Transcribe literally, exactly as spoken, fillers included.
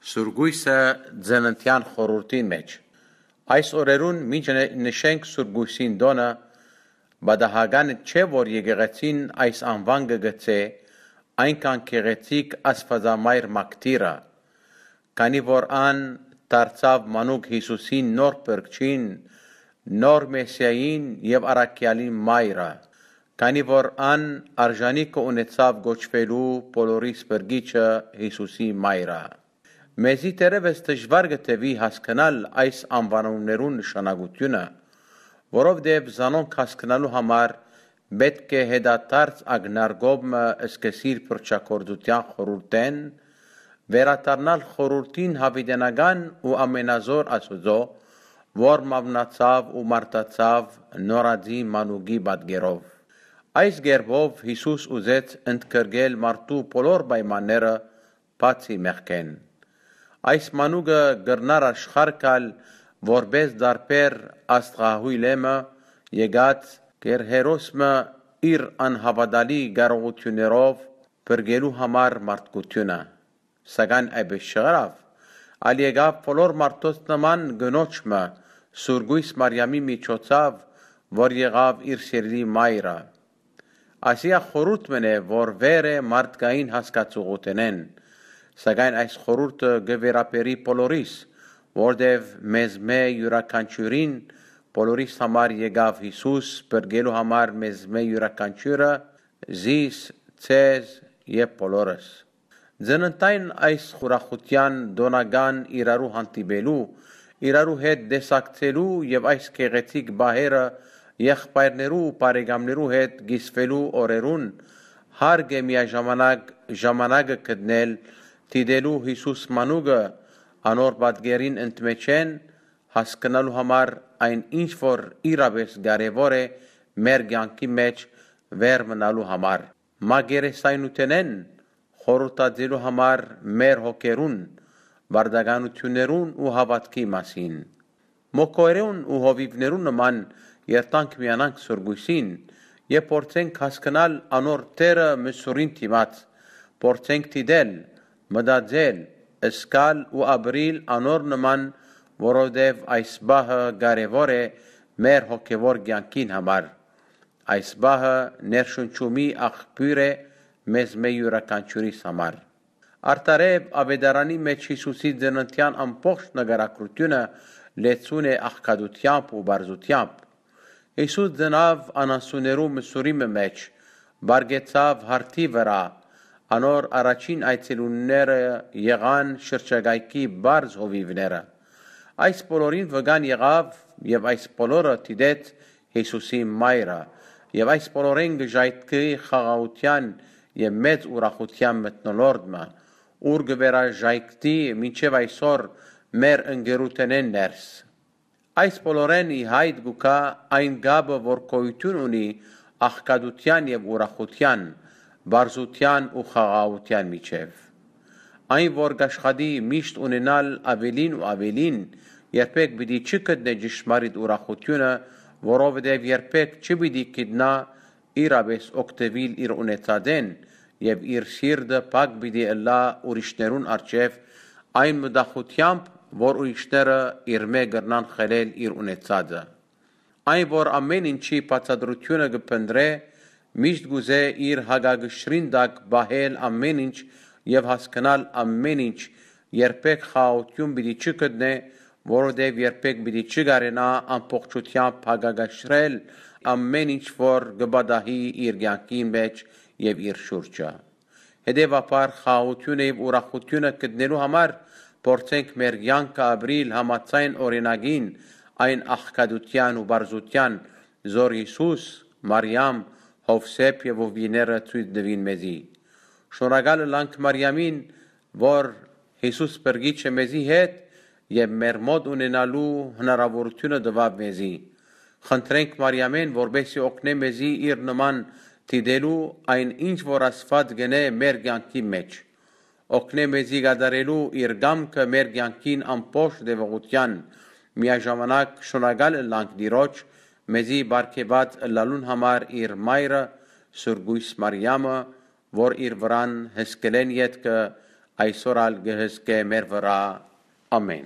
Սուրգոյսը ծննդեան խորհուրդին մէջ։ Այս օրերուն մինչ նշենք Սուրգոյսին տօնը, պատահական չէ, որ եկեղեցին այս անուան կը գցէ այնքան գեղեցիկ Աստուածամայր մակդիրը, քանի որ ան դարձաւ մանուկ Յիսուսին նոր փրկչին, նոր Մեսիային եւ առաքեալին մայրը, քանի որ ան արժանիքը ունեցաւ կոչուելու բոլորիս փրկիչը Յիսուսի մայրը։ Մեզի դեռեւս դժուար կը թուի հասկնալ այս անուանումներուն նշանակութիւնը, որովհետեւ զանոնք հասկնալու համար պէտք է հետադարձ ակնարկով մը սկսիլ փրկչագործութեան խորհուրդէն, վերադառնալ խորհուրդին յաւիտենական ու ամենազօր Աստուծոյ, որ մաւնացաւ ու մարդացաւ նորածին մանուկի պատկերով։ Այս կերպով Յիսուս ուզեց ընդգրկել մարդու բոլոր պայմանները, բացի մեղքէն։ Այս մանուկը կրնար աշխարհ գալ որպէս տարբեր աստղահոյլ մը, եկած կեր հերոս մը իր անհաւատալի կարողութիւններով փրկելու համար մարդկութիւնը։ Սակայն այդպէս չըրաւ, այլ եկաւ բոլոր մարդոց նման կնոջ մը, Սուրգոյս Մարիամի միջոցաւ, որ եղաւ իր սիրելի մայրը։ Ասիա խորհուրդ մըն է, որ վեր է մարդկային հասկացողութենէն, սակայն այս խորհուրդը կը վերաբերի բոլորիս, որտեւ մեզմէ իւրաքանչիւրին, բոլորիս համար եկաւ Յիսուս, փրկելու համար մեզմէ իւրաքանչիւրը, զիս, ձեզ եւ բոլորս։ Ծննդային այս ուրախութեան տօնական իրարու հանդիպելու, իրարու հետ տեսակցելու եւ այս գեղեցիկ պահերը եղբայրներու ու բարեկամներու հետ կիսուելու օրերուն, հարկ է միաժամանակ ժամանակը գտնել դիտելու Յիսուս մանուկը, անոր պատկերին ընդմէջէն հասկնալու համար այն, ինչ որ իրապէս կարեւոր է մեր կեանքի մէջ վեր մնալու համար, մակերեսայնութենէն խորհրդածելու համար մեր հոգերուն, վարդականութիւններուն ու հաւատքի մասին։ Մոկորերուն ու հովիւներուն նման երթանք միանանք Սուրգոյսին եւ փորձենք հասկնալ անոր դերը մսուրին դիմաց, փորձենք դիտել, մտածել, զգալ ու ապրիլ անոր նման, որովհետեւ այս պահը կարեւոր է մեր հոգեվոր կեանքին համար։ Այս պահը ներշնչումի աղբիւր է մեզմէ իւրաքանչիւրիս համար։ Արդարեւ, աւետարանի մէջ Յիսուսի ծննդեան ամբողջ նկարագրութիւնը լեցուն է աղքատութեամբ ու պարզութեամբ։ Յիսուս ծնաւ անասուններու մսուրի մը մէջ, պառկեցաւ հարթի վրայ, անոր առաջին այցելունները եղան շրջակայքի պարզ հովիւները։ Այս բոլորին վկան եղաւ եւ այս բոլորը դիտեց Յիսուսի մայրը, եւ այս բոլորէն կը ժայթքի խաղաղութեան եւ մեծ ուրախութեան մթնոլորտ մը, ուր կը վերաժայթքի մինչեւ այսօր մեր ընկերութենէն ներս։ Այս բոլորէն ի հայտ կու գայ այն կապը, որ գոյութիւն ունի աղքատութեան եւ ուրախութեան, պարզութեան ու խաղաղութեան միջեւ։ Այն, որ կ'աշխատի միշտ ունենալ աւելին ու աւելին, երբեք պիտի չի գտնէ ճշմարիտ ուրախութիւնը, որովհետեւ երբեք չի պիտի գիտնայ իրապէս օգտուիլ իր ունեցածէն եւ իր սիրտը փակ պիտի ըլլայ ուրիշներուն առջեւ այն մտախութեամբ, որ ուրիշները իրմէ կրնան խլել իր ունեցածը։ Այն, որ ամէն ինչի բացատրութիւնը կը փնտռէ, միշտ կ'ուզէ իր հակակշռին տակ պահել ամէն ինչ եւ հասկնալ ամէն ինչ, երբեք խաղաղութիւն պիտի չի գտնէ, որովհետեւ երբեք պիտի չի կարենայ ամբողջութեամբ հակակշռել ամէն ինչ, որ կը պատահի իր կեանքին մէջ եւ իր շուրջը։ Հետեւաբար, խաղաղութիւնը եւ ուրախութիւնը գտնելու համար փորձենք մեր կեանքը ապրիլ համաձայն օրինակին այն աղքատութեան ու պարզութեան, զոր Յիսուս, Մարիամ, Յովսէփ եւ հովիւները ցոյց տուին մեզի։ Շնորհակալ ըլանք Մարիամին, որ Յիսուս Փրկիչը մեզի հետ եւ մեր մօտ ունենալու հնարաւորութիւնը տուաւ մեզի։ Խնդրենք Մարիամէն, որպեսզի օգնէ մեզի իր նման դիտելու այն, ինչ որ Աստուած կ'ընէ մեր կեանքի մէջ։ Օգնէ մեզի կատարելու իր կամքը մեր կեանքին ամբողջ տեւողութեան, միաժամանակ շնորհակալ ըլանք Տիրոջ, մեզի պարգեւած ըլլալուն համար իր մայրը, Սուրգոյս Մարիամը, որ իր վրան հսկելէն ետքը այսօր ալ կը հսկէ մեր վրայ։ Ամէն»։